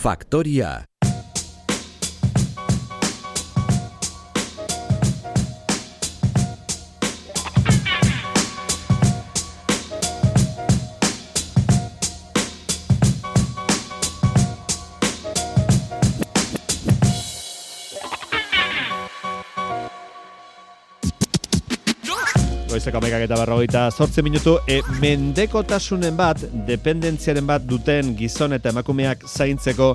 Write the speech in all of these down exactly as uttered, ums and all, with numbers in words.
Faktoria. Goizeko hamaikak eta berrogeita zortzi minutu, e, mendekotasunen bat, dependentziaren bat duten gizon eta emakumeak zaintzeko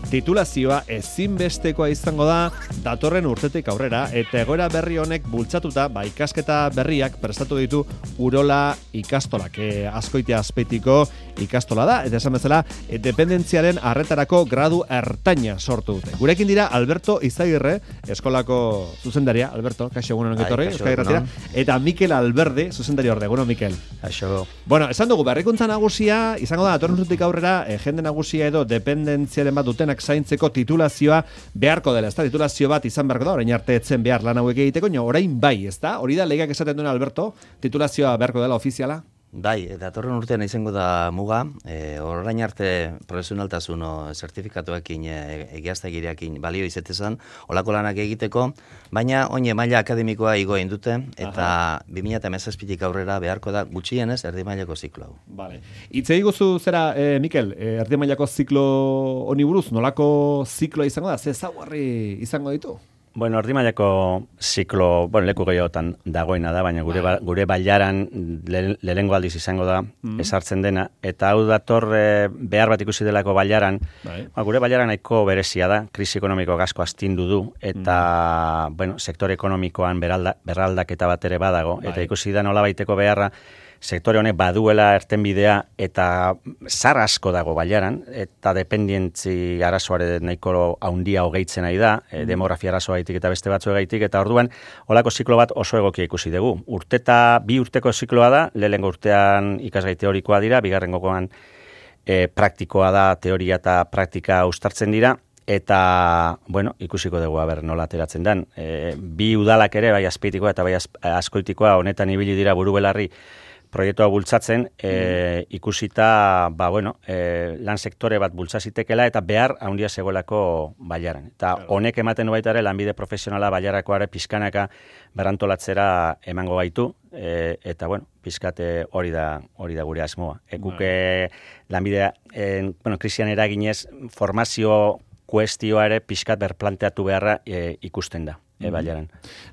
titulazioa ezinbestekoa izango da datorren urtetik aurrera, eta egoera berri honek bultzatuta, ba, ikasketa berriak prestatu ditu Urola ikastolak, e, Azkoitia Azpeitiko ikastola da, eta esan bezala, e, dependentziaren arretarako gradu ertaina sortu dute. Gurekin dira Alberto Izagirre, eskolako zuzendaria. Alberto, kaixo egunon ongetorri, Euskadi Irratira, eta Mikel Alberde, zuzendari orde. Egunon, Mikel. Kaixo. Bueno, esan dugu, berrikuntza nagusia, izango da, datorren urtetik aurrera, e, jende nagusia edo dependentziaren bat dutenak zaintzeko titulazioa beharko dela, ezta? Titulazio bat izan beharko da, orain arte etzen behar lan hauek egiteko, no, orain bai, ezta? Hori da, legeak esaten duen Alberto, titulazioa beharko dela ofiziala? Bai, datorren urtean izango da muga, e, orain arte profesionaltasun zertifikatuekin e, egiaztagiriakin balio izetezan, olako lanak egiteko, baina oine maila akademikoa igo egin dute, eta bi mila hamazazpitik aurrera beharko da gutxienez erdi mailako ziklo hau. Vale. Itze iguzu zera, e, Mikel, e, erdi mailako ziklo honi buruz, nolako zikloa izango da, ze ezaugarri izango ditu? Bueno, erdi mailako ziklo, bueno, leku gehiagotan dagoena da, baina gure, ba, gure bailaran le, lehengo aldiz izango da, mm. esartzen dena, eta hau dator e, behar bat ikusi delako bailaran, ba, gure bailaran nahiko berezia da, krisi ekonomiko gasko astindu du, eta, mm. bueno, sektore ekonomikoan beralda, berraldaketa bat ere badago, bai. Eta ikusi da nola baiteko beharra, sektore honek baduela ertenbidea eta zar asko dago bailaran, eta dependientzi arazoare nahiko haundia hogeitzen nahi da, mm. demografia arazoa gaitik eta beste batzu gaitik, eta orduan holako ziklo bat oso egokia ikusi dugu. Urteta, bi urteko zikloa da, lehengo urtean ikasgai teorikoa dira, bigarren gogoan e, praktikoa da, teoria eta praktika uztartzen dira, eta, bueno, ikusiko dugu, aber, nola ateratzen den. E, bi udalak ere, bai Azpeitikoa eta bai Azkoitikoa, honetan ibili dira buru belarri, proiektua bultzatzen, e, ikusita, ba, bueno, e, lan sektore bat bultzazitekela eta behar handia zegoelako bailaran. Eta honek ematen du baita ere lanbide profesionala bailarakoare pizkanaka berantolatzera emango baitu, e, eta, bueno, pizkate hori da hori da gure asmoa. Ekuke lanbidea, e, bueno, krisian eraginez, formazio kuestioa ere pizkat berplanteatu beharra e, ikusten da. E, bailaran.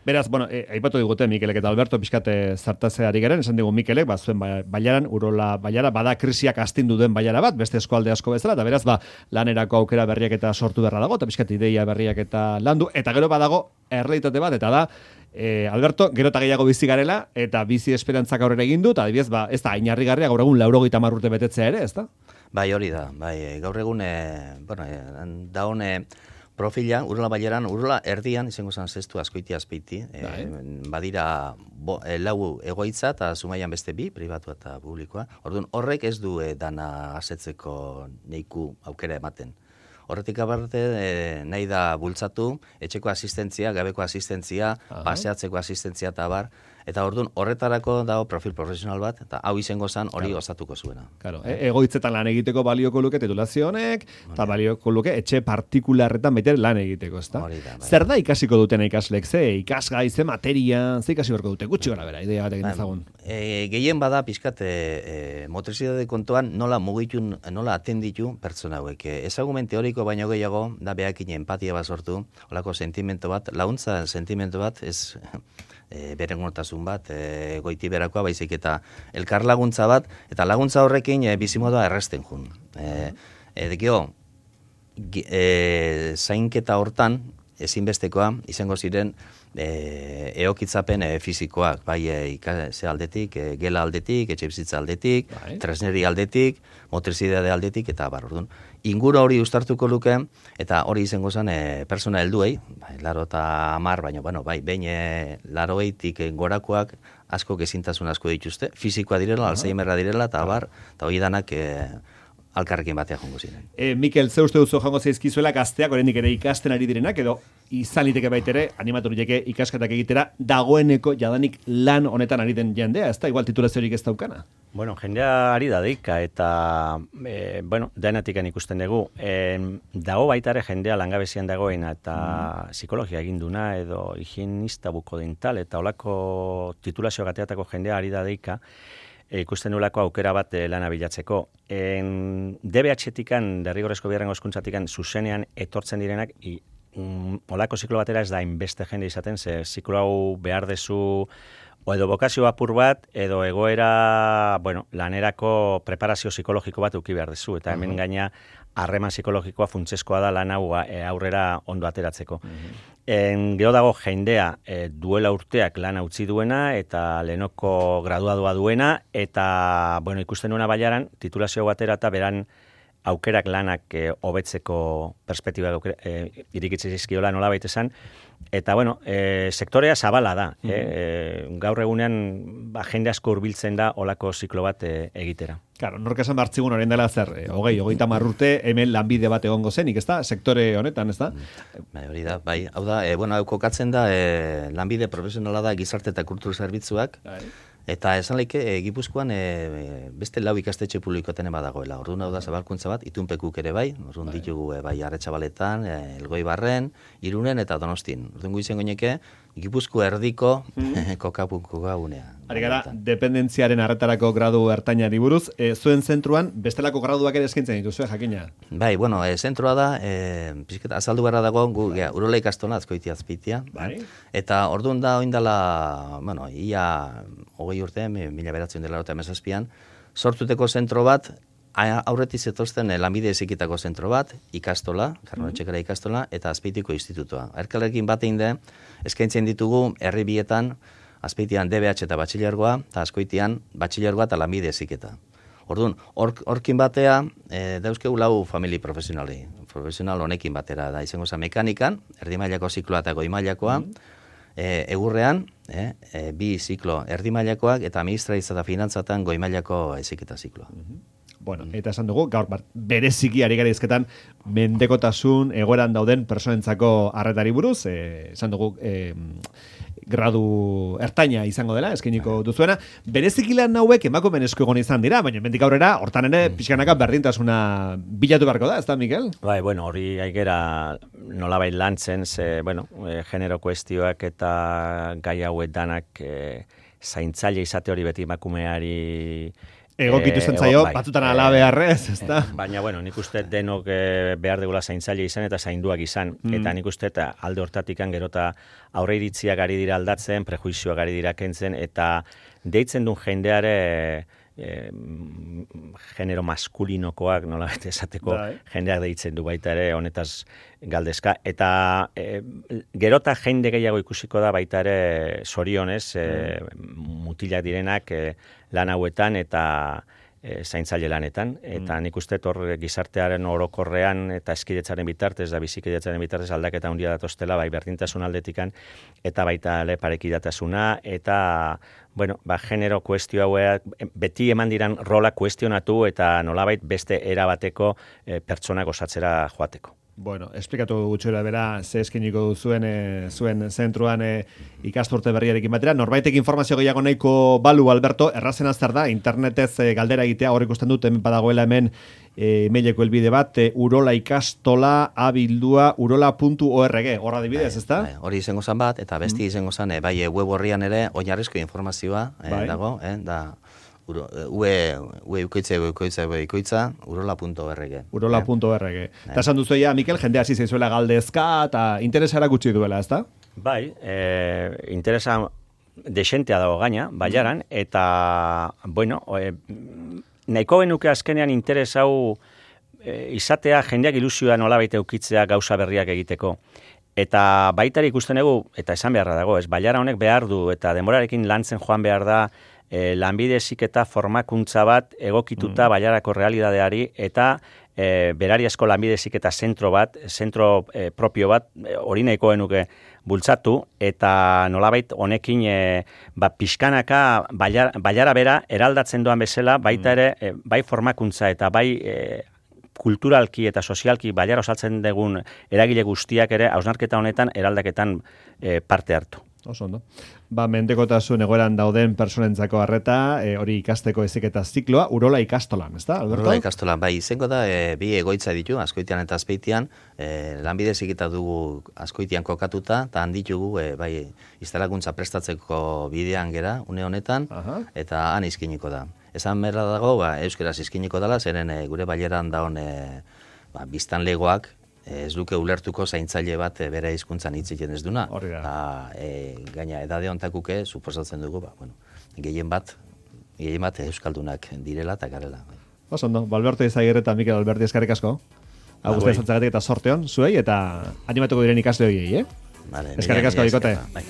Beraz, bueno, e, aipatu digute Mikelek eta Alberto pixkate zartazeari garen, esan digu Mikelek, ba, zuen bailaran, Urola bailara, bada krisiak astindu duen bailara bat, beste eskualde asko bezala, eta beraz, ba, lanerako aukera berriak eta sortu beharra dago, eta pixkat ideia berriak eta landu, eta gero badago errealitate bat, eta da, e, Alberto, gero eta gehiago bizi garela, eta bizi esperantzak aurrera egin du, eta adibidez, ba, ez da, inarrigarria gaur egun laurogeita hamar urte betetzea ere, ez da? Bai, hori da, bai, gaur egun, e, bueno, e, da hone, profila, Urola bailaran, Urola erdian, izango zen zestu Azkoitia Azpeiti, e, badira bo, e, lau egoitza eta Zumaian beste bi, pribatua eta publikoa. Orduan, horrek ez du e, dana asetzeko neiku aukera ematen. Horretik aparte, e, nahi da bultzatu, etxeko asistentzia, gabeko asistentzia, Aha. paseatzeko asistentzia eta bar, eta orduan horretarako dago profil profesional bat, eta hau izango zen hori claro. osatuko zuena. Claro. E egoitzetan lan egiteko balioko luke titulazio honek, eta balioko luke etxe partikularretan baitere lan egiteko, ezta? Zer da ikasiko duten ikaslek, ze ikasgai, ze materia, ze ikasi berko dute, gutxi gara bera, idea bat egin ezagun. E, gehien bada pixkat e, e, motrizitate kontuan nola mugitun, nola atenditu pertsona hauek. Ezagumen teoriko baino gehiago, da behakin empatia bat sortu, holako sentimento bat, launtza sentimento bat, ez... E, berengotasun bat, e, goiti berakoa, baizik eta elkar laguntza bat, eta laguntza horrekin e, bizimodoa erresten jun. E, e, Dekio, e, zainketa hortan, ezinbestekoa, izango ziren e, eokitzapen e, fizikoak, bai e, ikase aldetik, e, gela aldetik, etxe bizitza aldetik, bai. Tresneri aldetik, motrizidade aldetik, eta bar, orduan. Ingura hori ustartuko luke, eta hori izango zen e, persona helduei, bai, laro eta amar, baina, bueno, bai, behin e, laroeitik gorakoak asko gezintasun asko dituzte, fizikoa direla, uh-huh. alzheimerra direla, eta bar, eta hori danak e, alkarrekin batea jongo ziren. E, Mikel, ze uste duzu jongo zaizkizuela gazteak, oraindik ere ikasten ari direnak, edo izan liteke baitere, animatu liteke ikasketak egitera, dagoeneko jadanik lan honetan ari den jendea, ez da, igual titulaziorik ez daukana? Bueno, jendea ari da deika, eta, e, bueno, denatikan ikusten dugu. E, dago baitare jendea langabezian dagoena, eta mm. psikologia eginduna, edo higienista bukodental, eta olako titulazio gateatako jendea ari da deika, e, ikusten nolako aukera bat e, lana bilatzeko. En, D B H-tikan, derrigorrezko bigarrengo hezkuntzatikan, zuzenean etortzen direnak, i, um, olako ziklo batera ez da inbeste jende izaten, ze ziklo hau behar dezu, o edo bokazio apur bat, edo egoera, bueno, lanerako preparazio psikologiko bat uki behar dezu, eta hemen uh-huh. gaina harreman psikologikoa funtsezkoa da lan hau e, aurrera ondo ateratzeko. Uh-huh. En, gero dago jendea e, duela urteak lan utzi duena, eta lehenoko graduadua duena, eta, bueno, ikusten duena baiaran, titulazio batera eta beran aukerak lanak e, hobetzeko perspektiba e, irikitzen zizkiola nola baita esan, eta, bueno, e, sektorea zabala da. Mm-hmm. e, gaur egunean ba, jende asko hurbiltzen da olako ziklo bat e, egitera. Claro, nork esan bartzigun orain dela zer, e, hogei, hogeita marrurte, hemen lanbide bat egongo zenik, ez da? Sektore honetan, ez da? Bai, hori da, bai, hau da, e, bueno, hau kokatzen da, e, lanbide profesionala da gizarte eta kultur zerbitzuak, bai. Eta esan laike, e, Gipuzkoan e, beste lau ikastetxe publikoten badagoela. Orduan hau da zabalkuntza bat, itunpekuk ere bai, orduan bai. Ditugu e, bai Arretxabaletan, e, Elgoibarren, Irunen eta Donostin. Orduan guizen goineke, Gipuzko erdiko mm. kokapuko gaunea. Ari gara, dependentziaren arretarako gradu ertainari buruz, e, zuen zentruan bestelako graduak ere eskaintzen dituzu, eh, jakina? Bai, bueno, e, zentrua da, e, pizketa, azaldu beharra dago, gu, ja, urola ikastola, azkoitia azpitia. Bai. Eta orduan da, oindala, bueno, ia hogei urte, mila beratzen dela eta emezazpian, sortuteko zentro bat, aurretik zetozten lanbide ezikitako zentro bat, ikastola, Karnotxekara ikastola, eta Azpeitiko institutoa. Erkalekin bat egin da, eskaintzen ditugu herri bietan, Azpeitian D B H eta batxilergoa, eta Azkoitian batxilergoa eta lanbide eziketa. Orduan, horkin batea, e, dauzkegu lau famili profesionali. Profesional honekin batera da, izango za mekanikan, erdi mailako zikloa eta goi mailakoa, mm. E, egurrean, e, e, bi ziklo erdi mailakoak eta administraitza eta finantzatan goi mailako eziketa zikloa. Mm-hmm. Bueno, eta esan dugu, gaur bereziki ari gara izketan mendekotasun egoeran dauden personentzako arretari buruz, e, esan dugu e, gradu ertaina izango dela, eskainiko duzuena. Bereziki lan hauek emakumeen esku egon izan dira, baina mendik aurrera, hortan ere pixkanaka berdintasuna bilatu beharko da, ez da, Mikel? Bai, bueno, hori aigera nolabait lantzen, ze, bueno, e, genero kuestioak eta gai hauek danak e, zaintzaile izate hori beti emakumeari egokitu zen zaio, bai, batzutan e, ala beharrez, ez da? Baina, bueno, nik uste denok e, behar degula zaintzaile izan eta zainduak izan. Mm. Eta nik uste eta alde hortatikan gerota aurre iritziak ari dira aldatzen, prejuizioak ari dira kentzen, eta deitzen duen jendeare e, genero maskulinokoak, nola bete esateko, Dai. Jendeak deitzen du baita ere, honetaz galdezka. Eta e, gerota jende gehiago ikusiko da baita ere zorionez, e, mutilak direnak e, lan hauetan eta e, zaintzaile lanetan. Eta nik uste hor gizartearen orokorrean eta eskidetzaren bitartez, da bizikidetzaren bitartez aldaketa handia datoztela, bai berdintasun aldetikan, eta baita le parekidatasuna, eta bueno, ba, genero kuestio hauek beti eman diran rola kuestionatu eta nolabait beste erabateko e, pertsonak osatzera joateko. Bueno, esplikatu gutxora bera ze eskiniko zuen e, zuen zentruan e, ikasturte berriarekin batera. Norbaitek informazio gehiago nahiko balu, Alberto, errazen azter da, internetez e, galdera egitea, hor ikusten dut, hemen badagoela hemen e, emaileko helbide bat, e, urola ikastola abildua urola puntu org, horra dibidez, ez da? Hori izango zan bat, eta besti mm. izango zan, e, bai web horrian ere, oinarrizko informazioa e, bai. Dago, e, da... Ue, ue ukoitza, ue ukoitza, ue ukoitza, urola puntu org. urola puntu org. Eta esan duzu ja, Mikel, jende hasi zaizuela galdezka, eta interesara gutxi duela, ez da? Bai, e, interesa desentea dago gaina, baiaran, eta, bueno, e, nahiko benuke azkenean interes hau e, izatea jendeak ilusioa nolabait eukitzea gauza berriak egiteko. Eta baitari ikusten egu, eta esan beharra dago, ez, baiara honek behar du, eta denborarekin lantzen joan behar da, E, lanbide heziketa formakuntza bat egokituta mm. baiarako realidadeari eta e, berariazko lanbide heziketa zentro bat, zentro e, propio bat, hori e, nahiko genuke bultzatu, eta nolabait honekin e, ba, pixkanaka baiara, baiara bera eraldatzen doan bezala, baita ere e, bai formakuntza eta bai e, kulturalki eta sozialki bailara osaltzen dugun eragile guztiak ere hausnarketa honetan eraldaketan e, parte hartu. Oso ondo. Ba, mendekotasun egoeran dauden personentzako harreta, e, hori ikasteko eziketa zikloa, Urola ikastolan, ezta, Alberto? Urola ikastolan, bai, izango da, e, bi egoitza ditu, Azkoitian eta Azpeitian, e, lanbide ziketa dugu Azkoitian kokatuta, eta handitugu, e, bai, instalakuntza prestatzeko bidean gera, une honetan, Aha. eta han izkiniko da. Esan berra dago, ba, euskeraz izkiniko dela, zeren e, gure baileran daun e, ba, biztanlegoak, ez duke ulertuko zaintzaile bat e, bere hizkuntzan hitz egiten ez duna. Hori da. E, gaina edade hontakuke suposatzen dugu, ba, bueno, gehien bat, gehien bat euskaldunak direla eta garela. Oso ondo, Alberto Izagirre eta Mikel Alberti eskerrik asko. Agustin Zantzagatik eta sorteon, zuei, eta animatuko diren ikasle horiei, eh? Vale, eskerrik asko, bikote. Bai.